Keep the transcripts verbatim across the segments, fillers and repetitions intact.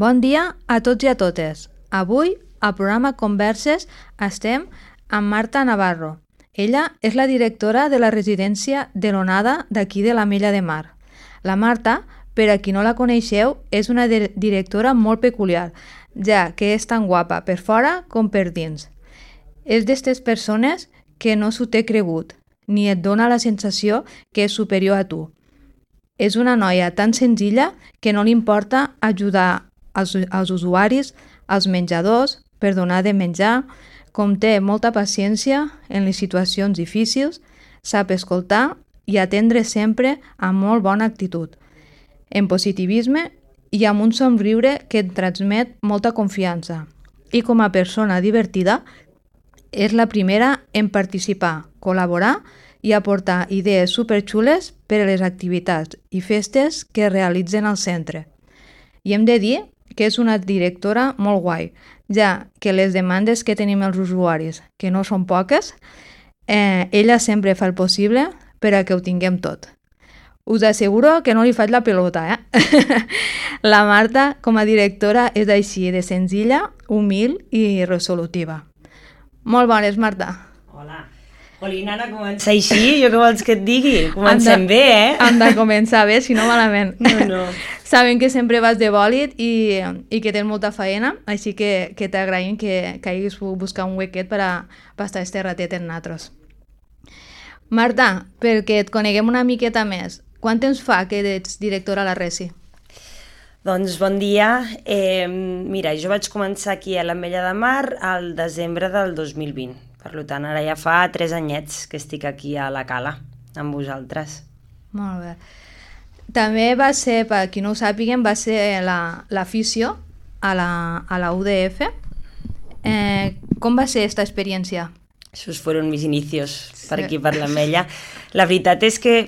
Bon dia a tots i a totes. Avui, al programa Converses, estem amb Marta Navarro. Ella és la directora de la residència de l'Onada d'aquí de l'Ametlla de Mar. La Marta, per a qui no la coneixeu, és una di- directora molt peculiar, ja que és tan guapa per fora com per dins. És d'estes persones que no s'ho té cregut, ni et dona la sensació que és superior a tu. És una noia tan senzilla que no li importa ajudar als, als usuaris, als menjadors, per donar de menjar, com té molta paciència en les situacions difícils, sap escoltar i atendre sempre amb molt bona actitud, en positivisme i amb un somriure que et transmet molta confiança. I com a persona divertida, és la primera en participar, col·laborar i aportar idees superxules per a les activitats i festes que es realitzen al centre. I hem de dir que és una directora molt guai, ja que les demandes que tenim els usuaris, que no són poques, eh, ella sempre fa el possible per a que ho tinguem tot. Us asseguro que no li faig la pelota, eh? La Marta, com a directora, és així de senzilla, humil i resolutiva. Molt bones, Marta. Hola. Jolín, Anna, comença així? Jo què vols que et digui? Comencem de, bé, eh? Hem de començar bé, si no malament. No, no. Sabem que sempre vas de bòlit i, i que tens molta feina, així que, que t'agraïm que, que hagis pogut buscar un huequet per a estar este ratet en nosaltres. Marta, perquè et coneguem una miqueta més, quant temps fa que ets directora a la Resi? Doncs bon dia. Eh, mira, jo vaig començar aquí a l'Ametlla de Mar al desembre del dos mil vint. Per tant, ara ja fa tres anyets que estic aquí a la Cala, amb vosaltres. Molt bé. També va ser, per qui no ho sàpiguen, va ser l'afició la, a, la, a la U D F. Eh, com va ser aquesta experiència? Esos fueron mis inicios per aquí, per l'Ametlla. La veritat és que,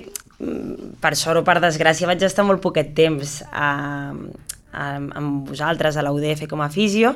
per sort o per desgràcia, vaig estar molt poquet temps a, a, amb vosaltres a la U D F com a fisio.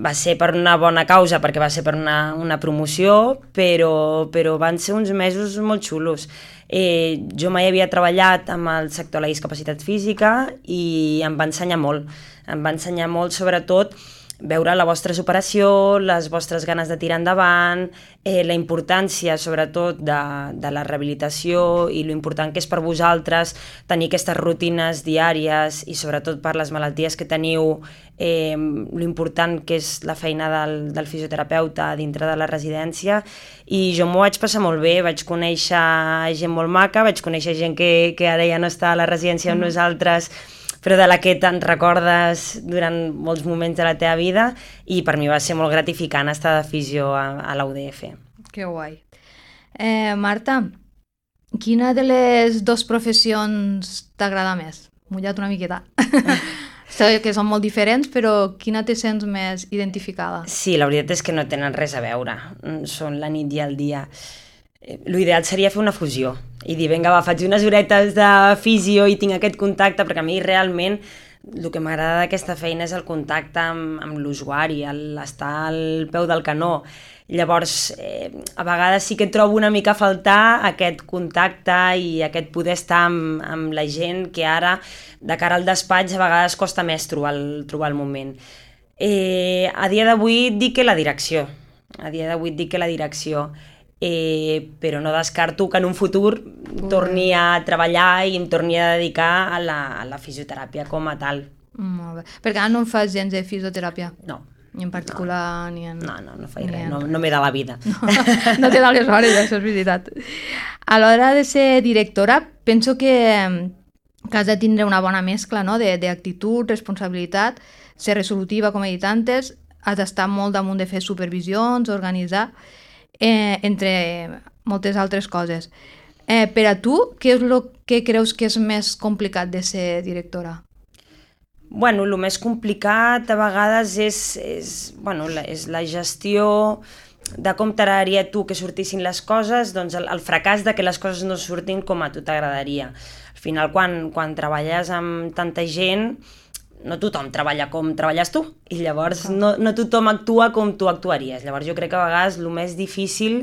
Va ser per una bona causa, perquè va ser per una, una promoció, però, però van ser uns mesos molt xulos. Eh, jo mai havia treballat amb el sector de la discapacitat física i em va ensenyar molt. Em va ensenyar molt, sobretot, veure la vostra superació, les vostres ganes de tirar endavant, eh, la importància, sobretot, de, de la rehabilitació i lo important que és per vosaltres tenir aquestes rutines diàries i, sobretot, per les malalties que teniu, eh, lo important que és la feina del, del fisioterapeuta dintre de la residència. I jo m'ho vaig passar molt bé, vaig conèixer gent molt maca, vaig conèixer gent que, que ara ja no està a la residència amb nosaltres, però de la que te'n recordes durant molts moments de la teva vida, i per mi va ser molt gratificant estar de fisio a, a la U D F. Que guai. Eh, Marta, quina de les dues professions t'agrada més? Mullat una miqueta. Sé que són molt diferents, però quina te sents més identificada? Sí, la veritat és que no tenen res a veure. Són la nit i el dia. L'ideal seria fer una fusió i dir, vinga, va, faig unes horetes de fisio i tinc aquest contacte, perquè a mi realment el que m'agrada d'aquesta feina és el contacte amb, amb l'usuari, l'estar al peu del canó. Llavors, eh, a vegades sí que trobo una mica a faltar aquest contacte i aquest poder estar amb, amb la gent que ara, de cara al despatx, a vegades costa més trobar el, trobar el moment. Eh, a dia d'avui et dic que la direcció, a dia d'avui et dic que la direcció, Eh, però no descarto que en un futur torni a treballar i em torni a dedicar a la, a la fisioteràpia com a tal. Molt bé. Perquè ara no en fas gens de fisioteràpia? No. Ni en particular, no. ni en... No, no, no faig res, en... no, no m'he de la vida. No, no te da les hores, això és veritat. A l'hora de ser directora, penso que, que has de tindre una bona mescla, no?, d'actitud, responsabilitat, ser resolutiva, com he dit antes, has d'estar molt damunt de fer supervisions, organitzar... Eh, entre moltes altres coses. Eh, per a tu, què és el que creus que és més complicat de ser directora? Bueno, el més complicat a vegades és, és, bueno, la, és la gestió de com t'agradaria a tu que sortissin les coses, doncs el, el fracàs de que les coses no surtin com a tu t'agradaria. Al final, quan, quan treballes amb tanta gent, no tothom treballa com treballes tu, i llavors no, no tothom actua com tu actuaries. Llavors jo crec que a vegades el més difícil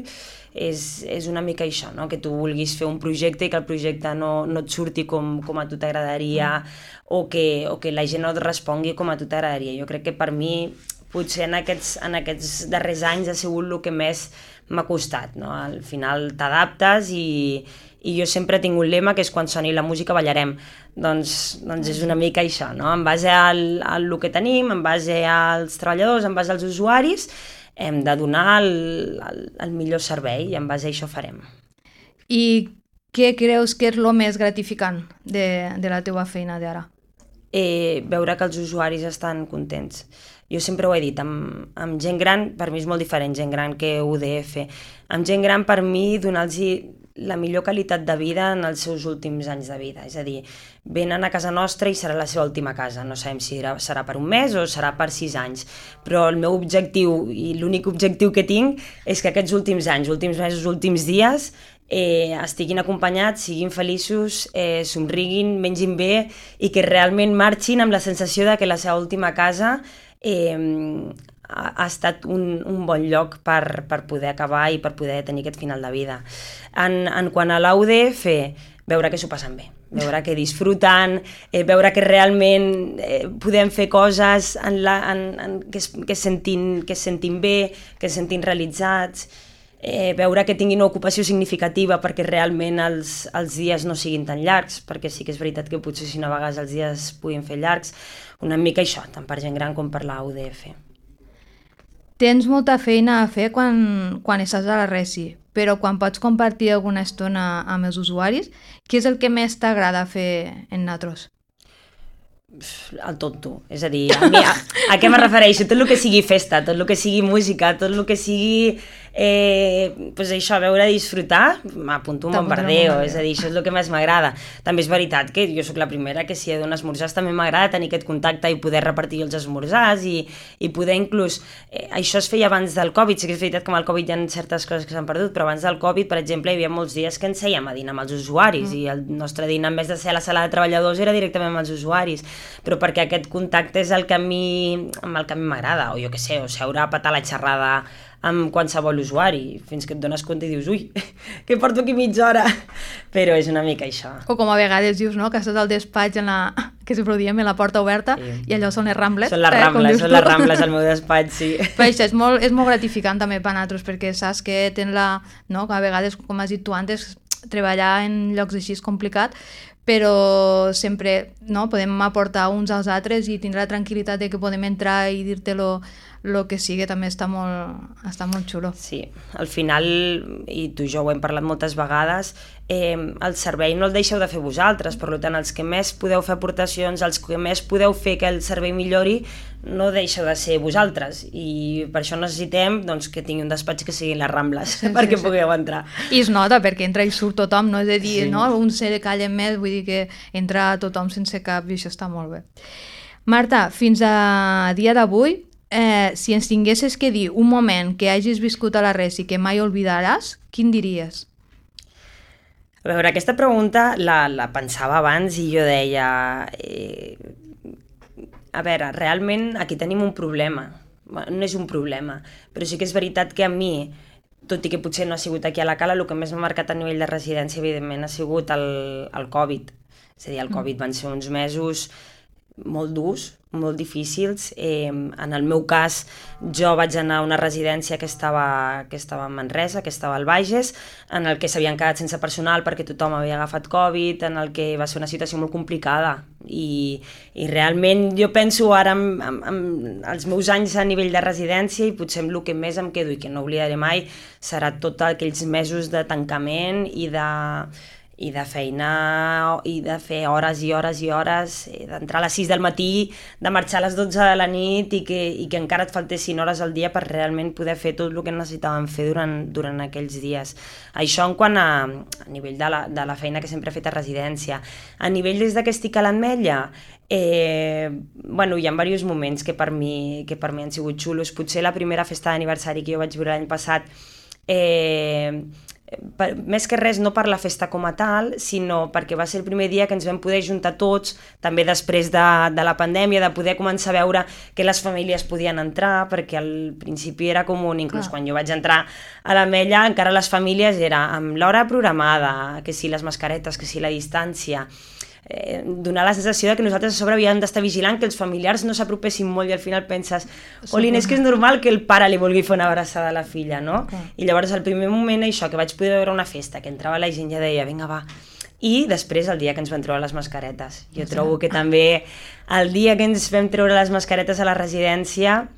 és, és una mica això, no? Que tu vulguis fer un projecte i que el projecte no, no et surti com, com a tu t'agradaria, mm. o, que, o que la gent no et respongui com a tu t'agradaria. Jo crec que per mi, potser en aquests, en aquests darrers anys ha sigut el que més m'ha costat, no? Al final t'adaptes i, i jo sempre tinc un lema que és quan soni la música ballarem. Doncs, doncs és una mica això, no? En base al, al que tenim, en base als treballadors, en base als usuaris, hem de donar el, el, el millor servei i en base a això farem. I què creus que és el més gratificant de, de la teva feina d'ara? Eh, veure que els usuaris estan contents. Jo sempre ho he dit, amb, amb gent gran, per mi és molt diferent gent gran que U D F. Amb gent gran, per mi, donar-los la millor qualitat de vida en els seus últims anys de vida. És a dir, venen a casa nostra i serà la seva última casa. No sabem si serà per un mes o serà per sis anys. Però el meu objectiu, i l'únic objectiu que tinc, és que aquests últims anys, últims mesos, últims dies, eh, estiguin acompanyats, siguin feliços, eh, somriguin, mengin bé i que realment marxin amb la sensació de que la seva última casa eh, ha, ha estat un, un bon lloc per, per poder acabar i per poder tenir aquest final de vida. En, en quant a l'A U D F, veure que s'ho passen bé, veure que disfruten, eh, veure que realment eh, podem fer coses en la, en, en, que, es, que, es sentin, que es sentin bé, que es sentin realitzats, eh, veure que tinguin una ocupació significativa perquè realment els, els dies no siguin tan llargs, perquè sí que és veritat que potser si no a vegades els dies puguin fer llargs, una mica això, tant per gent gran com per l'A U D F. Tens molta feina a fer quan, quan estàs a la Resi, però quan pots compartir alguna estona amb els usuaris, què és el que més t'agrada fer en Natros? El tonto, és a dir, a, mi, a, a què me refereixo? Tot el que sigui festa, tot el que sigui música, tot el que sigui eh, pues això, veure disfrutar, m'apunto un bombardeo, és a dir, això és el que més m'agrada. També és veritat que jo sóc la primera que si he d'anar a esmorzars també m'agrada tenir aquest contacte i poder repartir els esmorzars i, i poder inclús, eh, això es feia abans del Covid, sí que és veritat que amb el Covid hi ha certes coses que s'han perdut, però abans del Covid, per exemple, hi havia molts dies que ens sèiem a dinar amb els usuaris mm. i el nostre dinar, en vez de ser a la sala de treballadors, era directament amb els usuaris, però perquè aquest contacte és el que a mi, amb el que a mi m'agrada, o jo què sé, o seure a patar la xerrada amb qualsevol usuari, fins que et dones compte i dius, ui, que porto aquí mitja hora, però és una mica això. O com a vegades dius, no?, que estàs al despatx en la, que sempre ho diem, en la porta oberta, sí. I allò són les rambles. Són les eh, rambles, són tu. les rambles al meu despatx, sí. Però això és molt, és molt gratificant també per nosaltres, perquè saps que tens la, no?, que a vegades, com has dit tu antes, treballar en llocs així és complicat, però sempre, no, podem aportar uns als altres i tindre la tranquil·litat de que podem entrar i dir-te lo, lo que sigui, també està molt, està molt xulo. Sí, al final, i tu i jo ho hem parlat moltes vegades, eh, el servei no el deixeu de fer vosaltres, per tant, els que més podeu fer aportacions, els que més podeu fer que el servei millori, no deixeu de ser vosaltres, i per això necessitem doncs, que tingui un despatx que siguin les Rambles, sí, perquè sí, pugueu entrar. I es nota, perquè entra i surt tothom, no és a dir, sí. no? Un se calla més, vull dir que entra tothom sense cap, i això està molt bé. Marta, fins a dia d'avui, eh, si ens tinguessis que dir un moment que hagis viscut a la Resi que mai oblidaràs, quin diries? A veure, aquesta pregunta la, la pensava abans i jo deia... Eh, a veure, realment aquí tenim un problema. Bueno, no és un problema, però sí que és veritat que a mi, tot i que potser no ha sigut aquí a la Cala, el que més m'ha marcat a nivell de residència, evidentment, ha sigut el, el Covid. És a dir, el Covid van ser uns mesos molt durs, molt difícils. Eh, en el meu cas, jo vaig anar a una residència que estava, que estava a Manresa, que estava al Bages, en el que s'havien quedat sense personal perquè tothom havia agafat Covid, en el que va ser una situació molt complicada. I, i realment jo penso ara en, en, en els meus anys a nivell de residència i potser amb el que més em quedo i que no oblidaré mai serà tots aquells mesos de tancament i de... i de feina, i de fer hores i hores i hores, d'entrar a les sis del matí, de marxar a les dotze de la nit i que, i que encara et faltessin hores al dia per realment poder fer tot el que necessitàvem fer durant, durant aquells dies. Això en quant a, a nivell de la, de la feina que sempre he fet a residència. A nivell des que estic a l'Ametlla, eh, bueno, hi ha diversos moments que per, mi, que per mi han sigut xulos. Potser la primera festa d'aniversari que jo vaig viure l'any passat, eh, per, més que res no per la festa com a tal, sinó perquè va ser el primer dia que ens vam poder juntar tots, també després de, de la pandèmia, de poder començar a veure que les famílies podien entrar, perquè al principi era comú, inclús Clar. Quan jo vaig entrar a l'Ametlla, encara les famílies era amb l'hora programada, que si les mascaretes, que si la distància, eh, donar la sensació de que nosaltres a sobre havíem d'estar vigilant que els familiars no s'apropessin molt i al final penses, Olin, és que és normal que el pare li vulgui fer una abraçada a la filla, no? Okay. I llavors al primer moment això, que vaig poder veure una festa, que entrava la gent ja deia, vinga va, i després el dia que ens vam treure les mascaretes. Jo sí. trobo que també el dia que ens vam treure les mascaretes a la residència,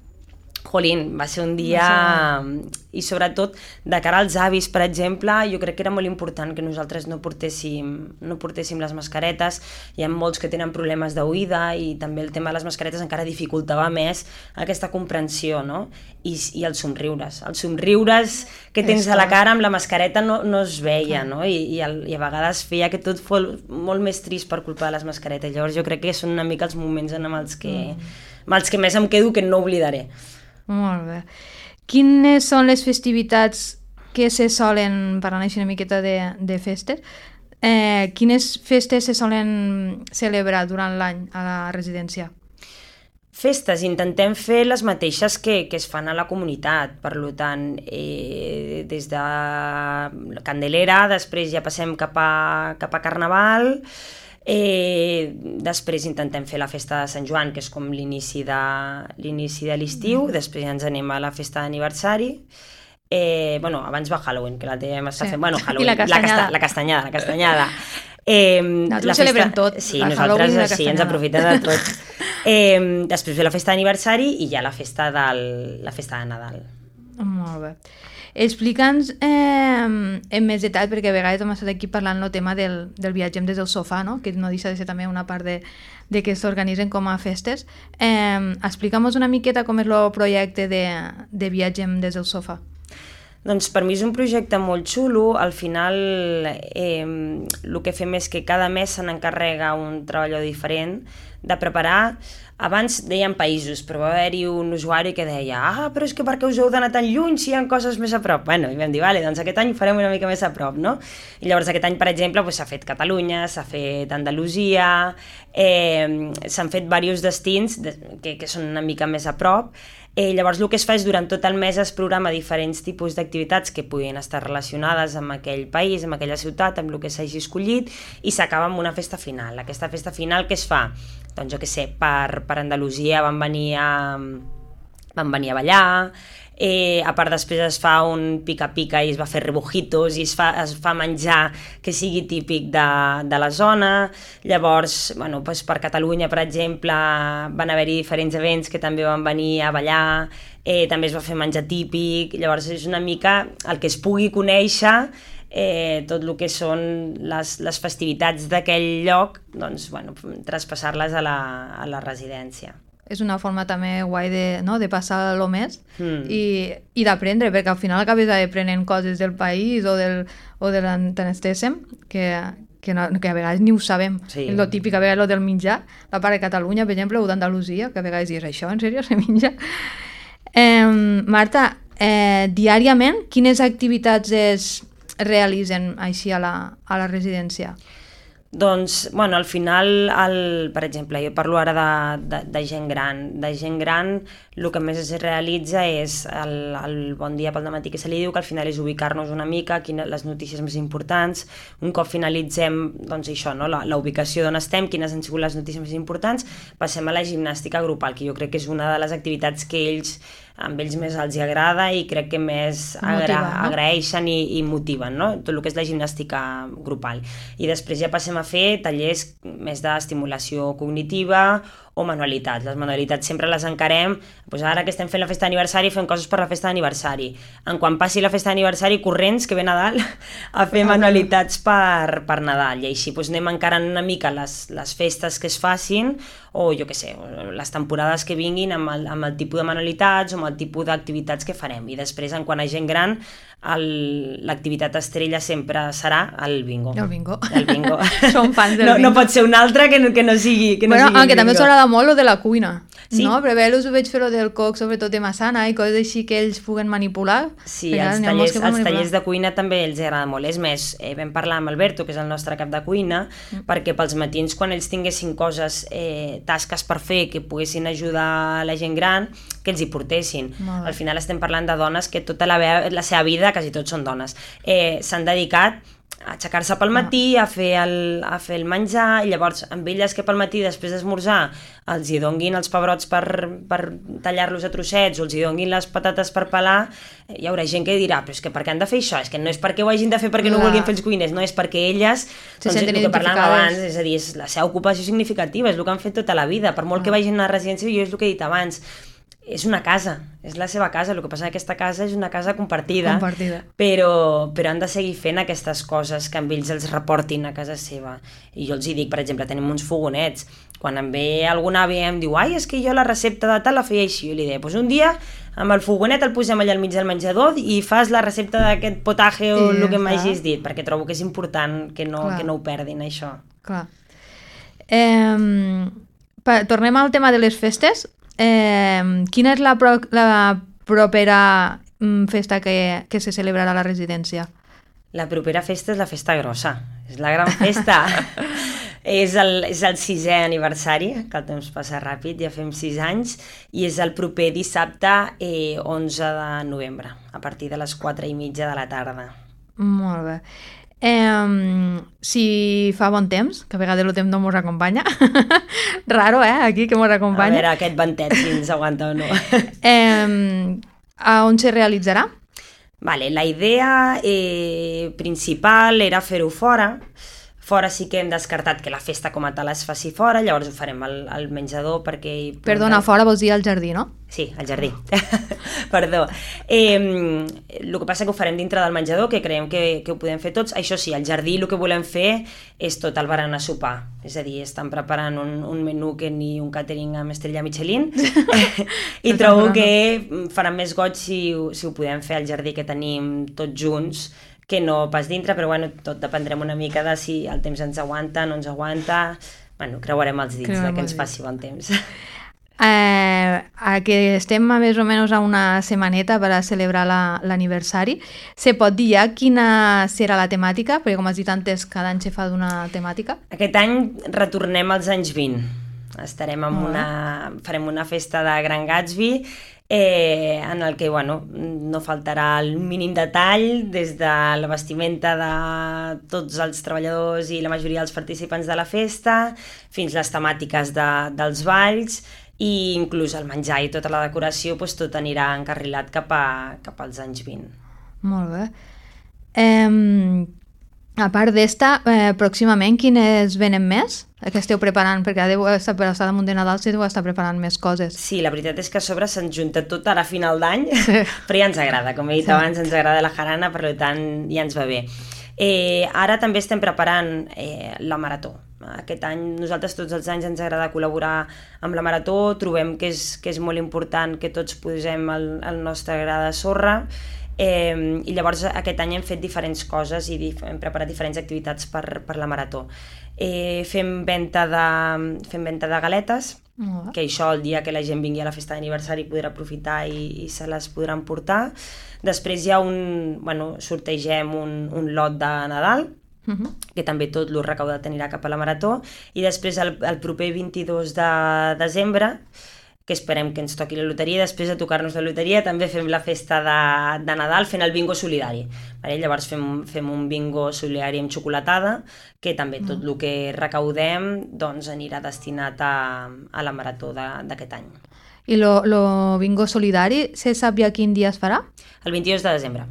jolín, va ser un dia... I sobretot, de cara als avis, per exemple, jo crec que era molt important que nosaltres no portéssim, no portéssim les mascaretes. Hi ha molts que tenen problemes d'oïda i també el tema de les mascaretes encara dificultava més aquesta comprensió, no? I, i els somriures. Els somriures que tens a la cara amb la mascareta no, no es veia, no? I, i, el, i a vegades feia que tot fos molt més trist per culpa de les mascaretes. Llavors jo crec que són una mica els moments en els que, mm. amb els que més em quedo que no oblidaré. Molt bé. Quines són les festivitats que se solen, parlant així una miqueta de, de festes, eh, quines festes se solen celebrar durant l'any a la residència? Festes, intentem fer les mateixes que, que es fan a la comunitat, per tant, eh, des de Candelera, després ja passem cap a, cap a Carnaval. Eh, després intentem fer la festa de Sant Joan, que és com l'inici de, l'inici de l'estiu, mm. després ja ens anem a la festa d'aniversari, eh, bueno, abans va Halloween, que la tenim està sí. fent, bueno, Halloween, I la castanyada. La, casta, la castanyada, la castanyada. Eh, nosaltres la celebrem tot, sí, nosaltres sí, ens aprofitem de tot. Eh, després ve la festa d'aniversari i ja la festa, del, la festa de Nadal. Molt bé. Explica'ns eh, en més detall, perquè a vegades hem estat aquí parlant el tema del, del viatgem des del sofà, no? Que no deixa de ser també una part de, de que s'organitzen com a festes. Eh, Explica'm-nos una miqueta com és el projecte de, de viatgem des del sofà. Doncs per mi és un projecte molt xulo. Al final eh, el que fem és que cada mes se n'encarrega un treballador diferent de preparar. Abans deien països, però va haver-hi un usuari que deia ah, però és que per què us heu d'anar tan lluny si hi ha coses més a prop? Bueno, i vam dir, vale, doncs aquest any ho farem una mica més a prop, no? I llavors aquest any, per exemple, s'ha fet Catalunya, s'ha fet Andalusia, eh, s'han fet diversos destins que, que són una mica més a prop. Eh, llavors el que es fa és durant tot el mes es programa diferents tipus d'activitats que puguin estar relacionades amb aquell país, amb aquella ciutat, amb el que s'hagi escollit, i s'acaba amb una festa final. Aquesta festa final què es fa? Doncs jo què sé, per, per Andalusia van venir a, van venir a ballar, eh, a part després es fa un pica-pica i es va fer rebujitos i es fa, es fa menjar que sigui típic de, de la zona. Llavors, bueno, doncs per Catalunya, per exemple, van haver-hi diferents events que també van venir a ballar, eh, també es va fer menjar típic. Llavors és una mica el que es pugui conèixer Eh, tot el que són les, les festivitats d'aquell lloc, doncs, bueno, traspassar-les a la, a la residència. És una forma també guai de, no, de passar el mes mm. i, i d'aprendre, perquè al final acabes aprenent coses del país o, del, o de l'Antenestèsem que, que, no, que a vegades ni ho sabem. Sí. És el típic, a vegades el del menjar, la part de Catalunya, per exemple, o d'Andalusia, que a vegades dius, això en sèrio se menja? Eh, Marta, eh, diàriament, quines activitats es realitzen així a la, a la residència? Doncs, bueno, al final, el, per exemple, jo parlo ara de, de, de gent gran. De gent gran, el que més es realitza és el, el bon dia pel dematí que se li diu, que al final és ubicar-nos una mica, quines les notícies més importants. Un cop finalitzem, doncs això, no? la, la ubicació d'on estem, quines han sigut les notícies més importants, passem a la gimnàstica grupal, que jo crec que és una de les activitats que ells amb ells més els agrada i crec que més agra Motiva, no? agraeixen i, i motiven, no? Tot el que és la gimnàstica grupal. I després ja passem a fer tallers més d'estimulació cognitiva o manualitats. Les manualitats sempre les encarem, doncs ara que estem fent la festa d'aniversari fem coses per la festa d'aniversari. En quan passi la festa d'aniversari, corrents, que ve Nadal, a fer manualitats per, per Nadal. I així doncs, anem encarant una mica les, les festes que es facin o jo què sé, les temporades que vinguin amb el, amb el tipus de manualitats o amb el tipus d'activitats que farem. I després, en quant a gent gran, l'activitat estrella sempre serà el bingo. El bingo. El bingo. Som fans del no, bingo. No pot ser un altre que no, que no sigui, que no bueno, sigui aunque també us agrada molt lo de la cuina, sí. no? Però bé, us ho veig fer lo del coc, sobretot de massana i coses així que ells puguen manipular. Sí, els tallers, els tallers de cuina també els agrada molt. És més, eh, vam parlar amb Alberto, que és el nostre cap de cuina, mm. perquè pels matins, quan ells tinguessin coses, eh, tasques per fer, que poguessin ajudar la gent gran, que els hi portessin. Al final estem parlant de dones que tota la, la seva vida, quasi tots són dones, eh, s'han dedicat a aixecar-se pel matí, a fer, el, a fer el menjar, i llavors amb elles que pel matí després d'esmorzar els hi donguin els pebrots per, per tallar-los a trossets o els hi donguin les patates per pelar, hi haurà gent que dirà, però és que per què han de fer això? És que no és perquè ho hagin de fer perquè no vulguin fer els cuiners, no, és perquè elles, doncs, el que parlàvem abans, és a dir, és la seva ocupació significativa, és el que han fet tota la vida, per molt que vagin a una residència, jo és el que he dit abans, és una casa, és la seva casa, el que passa que aquesta casa és una casa compartida, compartida. Però, però han de seguir fent aquestes coses que amb ells els reportin a casa seva. I jo els hi dic, per exemple, tenim uns fogonets, quan em ve alguna àvia i em diu, ai, és que jo la recepta de tal la feia així, jo li deia, doncs un dia amb el fogonet el posem allà al mig del menjador i fas la recepta d'aquest potaje o el que m'hagis dit, perquè trobo que és important que no, que no ho perdin, això. Clar. Eh, pa, tornem al tema de les festes. Eh, quina és la, pro, la propera mm, festa que, que se celebrarà a la residència? La propera festa és la festa grossa, és la gran festa. és, el, és el sisè aniversari, que el temps passa ràpid, ja fem sis anys, i és el proper dissabte eh, onze de novembre, a partir de les quatre i mitja de la tarda. Molt bé. Eh, si fa bon temps, que a vegades el temps no mos acompanya, raro, eh, aquí que mos acompanya. A veure, aquest ventet, si ens aguanta o no. eh, a on se realitzarà? Vale, la idea eh, principal era fer-ho fora. Fora sí que hem descartat que la festa com a tal es faci fora, llavors ho farem al, al menjador perquè... Perdona, fora vols dir al jardí, no? Sí, al jardí. Perdó. Eh, el que passa que ho farem dintre del menjador, que creiem que, que ho podem fer tots. Això sí, al jardí el que volem fer és tot el berenar sopar. És a dir, estan preparant un, un menú que ni un catering amb estrella Michelin i trobo que farà més goig si, si ho podem fer al jardí que tenim tots junts, que no pas dintre, però bueno, tot dependrem una mica de si el temps ens aguanta, no ens aguanta. Bueno, creuarem els dits de que ens faci bon temps. Eh, a que estem a més o menys a una setmaneta per a celebrar l'aniversari, la, se pot dir ja quina serà la temàtica? Perquè com has dit antes, cada any se fa d'una temàtica. Aquest any retornem als anys vint. Estarem amb una... farem una festa de Gran Gatsby, Eh, en el que bueno, no faltarà el mínim detall, des de la vestimenta de tots els treballadors i la majoria dels participants de la festa, fins les temàtiques de, dels balls, i inclús el menjar i tota la decoració, doncs tot anirà encarrilat cap, a, cap als anys vint. Molt bé. Eh, a part d'esta, eh, pròximament quines venen més? Que esteu preparant, perquè deu estar per estar damunt de Nadal, si deu estar preparant més coses. Sí, la veritat és que a sobre se'ns junta tot ara a final d'any, sí. Però ja ens agrada, com he dit sí. abans, ens agrada la jarana, per tant ja ens va bé. Eh, ara també estem preparant eh, la marató. Aquest any, nosaltres tots els anys ens agrada col·laborar amb la marató, trobem que és, que és molt important que tots posem el, el nostre gra de sorra, Eh, i llavors aquest any hem fet diferents coses i dif hem preparat diferents activitats per, per la marató. Eh, fem, venta de, fem venta de galetes, oh. que això el dia que la gent vingui a la festa d'aniversari podrà aprofitar i, i se les podran portar. Després hi ha un... bueno, sortegem un, un lot de Nadal, uh-huh. que també tot lo recaudat anirà cap a la marató, i després el, el proper vint-i-dos de desembre, que esperem que ens toqui la loteria, després de tocar-nos la loteria també fem la festa de, de Nadal fent el bingo solidari. Vale? Llavors fem, fem un bingo solidari amb xocolatada, que també tot el que recaudem doncs, anirà destinat a, a la marató d'aquest any. I lo, lo bingo solidari, se sap ja quin dia es farà? El vint-i-dos de desembre.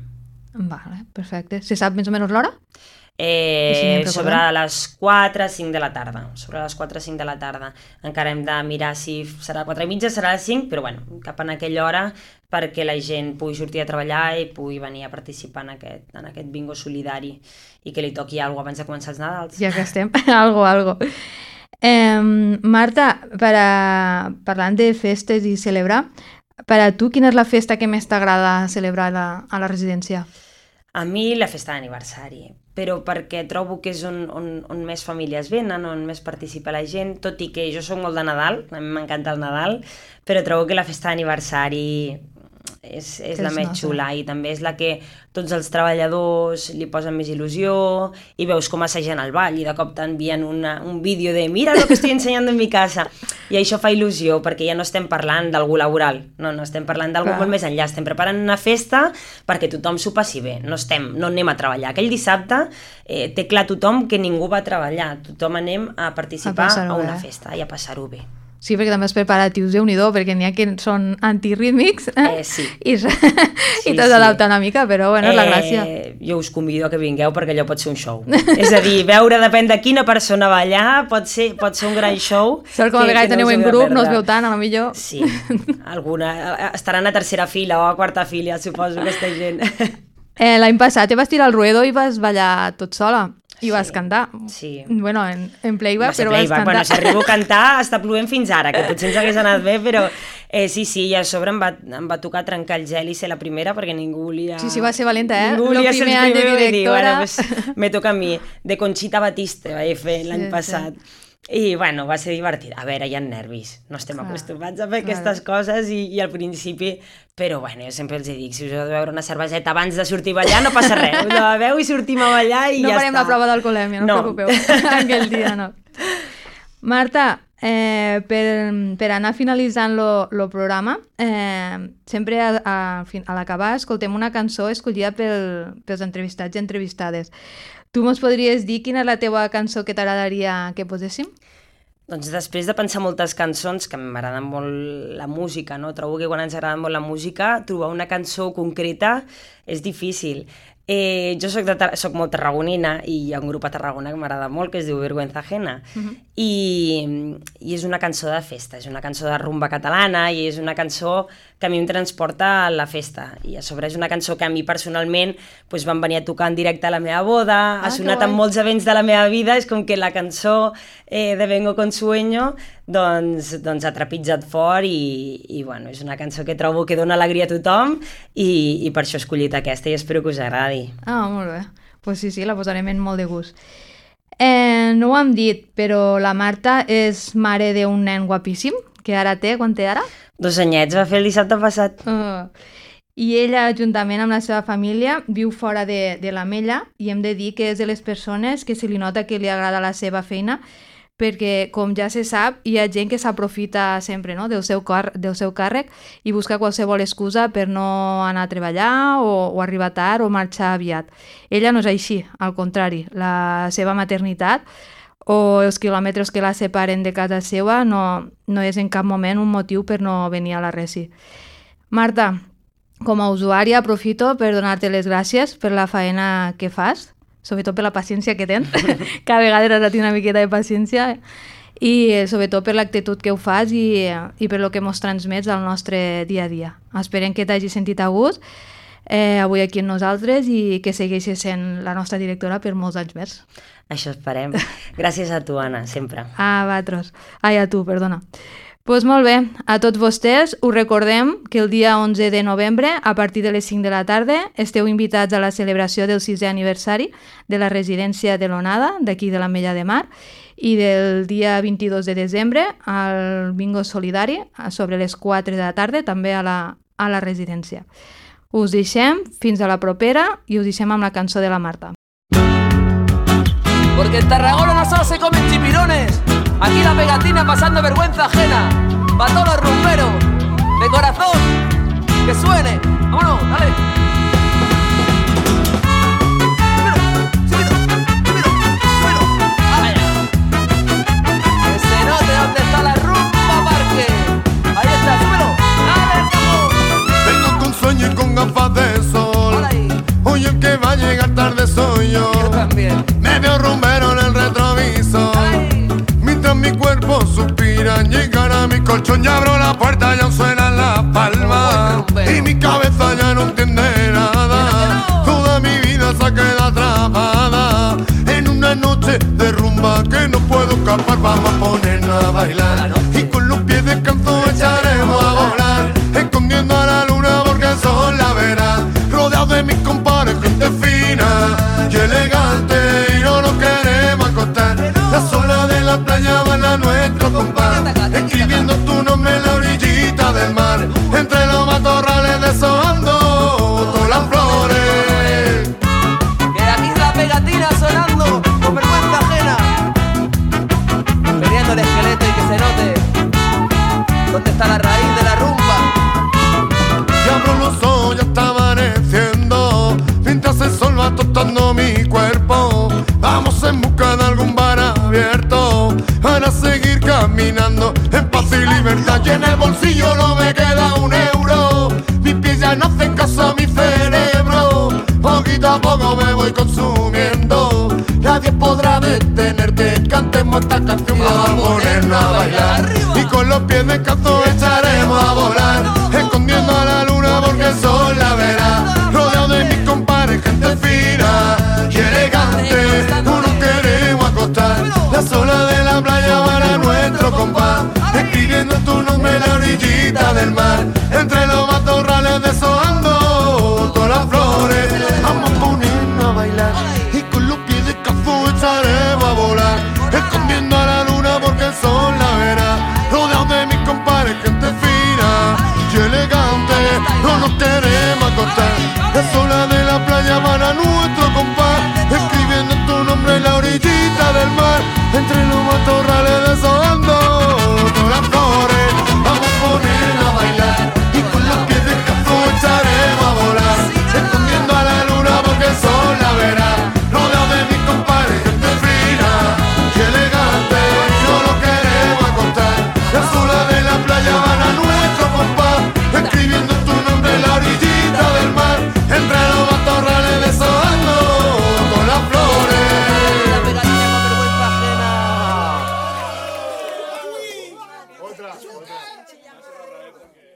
Vale, perfecte. Se sap més o menys l'hora? Eh, si sobre les quatre o cinc de la tarda. Sobre les quatre o cinc de la tarda. Encara hem de mirar si serà quatre i mitja, serà les cinc, però bueno, cap en aquella hora perquè la gent pugui sortir a treballar i pugui venir a participar en aquest, en aquest bingo solidari i que li toqui alguna cosa abans de començar els Nadals. Ja que estem, algo, algo. Eh, Marta, per a, parlant de festes i celebrar, per a tu quina és la festa que més t'agrada celebrar a la, a la residència? A mi la festa d'aniversari, però perquè trobo que és on, on, on més famílies venen, on més participa la gent, tot i que jo soc molt de Nadal, a mi m'encanta el Nadal, però trobo que la festa d'aniversari és, és la més xula i també és la que tots els treballadors li posen més il·lusió i veus com assagien el ball i de cop t'envien una, un vídeo de mira lo que estoy enseñando en mi casa i això fa il·lusió perquè ja no estem parlant d'algú laboral, no, no estem parlant d'algú molt més enllà, estem preparant una festa perquè tothom s'ho passi bé, no, estem, no anem a treballar. Aquell dissabte eh, té clar tothom que ningú va treballar, tothom anem a participar a, a una bé. festa i a passar-ho bé. Sí, perquè també els preparatius, Déu-n'hi-do, perquè n'hi ha que són antirítmics eh, eh, sí. i, sí, i tot s'adapta sí. una mica, però bueno, és la gràcia. Eh, jo us convido a que vingueu perquè allò pot ser un show. És a dir, veure depèn de quina persona va allà, pot ser, pot ser un gran show. Sort com a vegades teniu en grup, no us veu tant, a lo millor. Sí, alguna, estaran a tercera fila o a quarta fila, suposo, aquesta gent. Eh, L'any passat te vas tirar al ruedo i vas ballar tot sola. I vas sí, cantar. Sí. Bueno, en, en playback, però playback. vas cantar. Bueno, si arribo a cantar, està plovent fins ara, que potser ens hagués anat bé, però eh, sí, sí, i a sobre em va, em va tocar trencar el gel i ser la primera, perquè ningú volia... Sí, sí, va ser valenta, eh? Ningú volia ser el primer any de directora. Dir, bueno, pues, me toca a mi. De Conchita Batiste vaig fer l'any sí, passat. Sí. I, bueno, va ser divertit. A veure, hi ha nervis. No estem clar, acostumats a fer clar. aquestes coses i, i al principi... Però, bueno, jo sempre els dic, si us heu de beure una cerveseta abans de sortir a ballar, no passa res. Us la beveu i sortim a ballar i no ja està. No farem la prova d'alcoholèmia, no, no us preocupeu. Aquell dia, no. Marta, eh, per, per anar finalitzant el programa, eh, sempre a, a, a l'acabar escoltem una cançó escollida pel, pels entrevistats i entrevistades. Tu mos podries dir quina és la teva cançó que t'agradaria que poséssim? Doncs després de pensar moltes cançons, que m'agrada molt la música, no? Trobo que quan ens agrada molt la música, trobar una cançó concreta és difícil. Eh, jo soc, de, soc molt tarragonina i hi ha un grup a Tarragona que m'agrada molt, que es diu Vergüenza Ajena, uh-huh. I, i és una cançó de festa, és una cançó de rumba catalana i és una cançó que a mi em transporta a la festa. I a sobre és una cançó que a mi personalment pues, van venir a tocar en directe a la meva boda, ah, ha sonat en molts events de la meva vida, és com que la cançó eh, de Vengo con Sueño doncs, doncs ha trepitjat fort i, i bueno, és una cançó que trobo que dona alegria a tothom i, i per això he escollit aquesta i espero que us agradi. Ah, molt bé. Pues sí, sí, la posarem en molt de gust. Eh, no ho hem dit, però la Marta és mare d'un nen guapíssim, que ara té, quan té ara? Dos anyets, va fer el dissabte passat. Uh, I ella, juntament amb la seva família, viu fora de, de l'Ametlla i hem de dir que és de les persones que se li nota que li agrada la seva feina perquè, com ja se sap, hi ha gent que s'aprofita sempre, no?, del seu, car del seu càrrec i busca qualsevol excusa per no anar a treballar o, o arribar tard o marxar aviat. Ella no és així, al contrari. La seva maternitat o els quilòmetres que la separen de casa seva no, no és en cap moment un motiu per no venir a la Resi. Marta, com a usuària aprofito per donar-te les gràcies per la faena que fas, sobretot per la paciència que tens, que a vegades has de tenir una miqueta de paciència, i sobretot per l'actitud que ho fas i, i per lo que mos transmets al nostre dia a dia. Esperem que t'hagi sentit a gust eh, avui aquí amb nosaltres i que segueixi sent la nostra directora per molts anys més. Això esperem. Gràcies a tu, Anna, sempre. A vosaltres. Ai, a tu, perdona. Doncs pues molt bé, a tots vostès us recordem que el dia onze de novembre, a partir de les cinc de la tarda, esteu invitats a la celebració del sisè aniversari de la residència de l'Onada, d'aquí de l'Ametlla de Mar, i del dia vint-i-dos de desembre al bingo solidari, sobre les quatre de la tarda, també a la, a la residència. Us deixem fins a la propera i us deixem amb la cançó de la Marta. Porque en Tarragona no solo se comen chipirones, aquí la pegatina pasando vergüenza ajena. Pa' todos los rumberos, de corazón, que suene. Vámonos, dale. Súbelo, súbelo, súbelo, súbelo. Vaya. Que se note dónde está la rumba parque. Ahí está, súbelo. Dale, capo. Vengo con sueño y con gafas de sol. Hoy el que va a llegar tarde soy yo. Yo también. Me veo rumbero en el retrovisor. Ay. Mientras mi cuerpo suspira, llegar a mi colchón y abro la puerta y aún suenan las palmas. Y mi cabeza ya no entiende nada. No. Toda mi vida se queda atrapada en una noche de rumba que no puedo escapar. Vamos a ponernos a bailar y con los pies descalzos echaremos a volar, escondiendo a la luna porque el sol la verá. Rodeado de mis compadres, gente fina y elegante. caminando en paz y libertad. Y en el bolsillo no me queda un euro, mis pies ya no hacen caso a mi cerebro. Poquito a poco me voy consumiendo, nadie podrá detenerte. Cantemos esta canción, vamos a ponernos a bailar y con los pies descalzos echaremos a volar, escondiendo a la luna porque el sol la verá. Rodeado de mis compadres, gente fina y elegante, no nos queremos acostar. Las olas de la playa van a nuestro compás, escribiendo tu nombre en la orillita del mar. Entre los matorrales deshojando todas las flores, vamos a ponernos a bailar y con los pies descalzos echaremos a volar, escondiendo a la luna porque el sol la verá. Rodeado de mis compadres, gente fina y elegante, no nos queremos acostar. Las olas de la playa van a nuestro compás, escribiendo tu nombre en la orillita del mar. Entre los matorrales de esos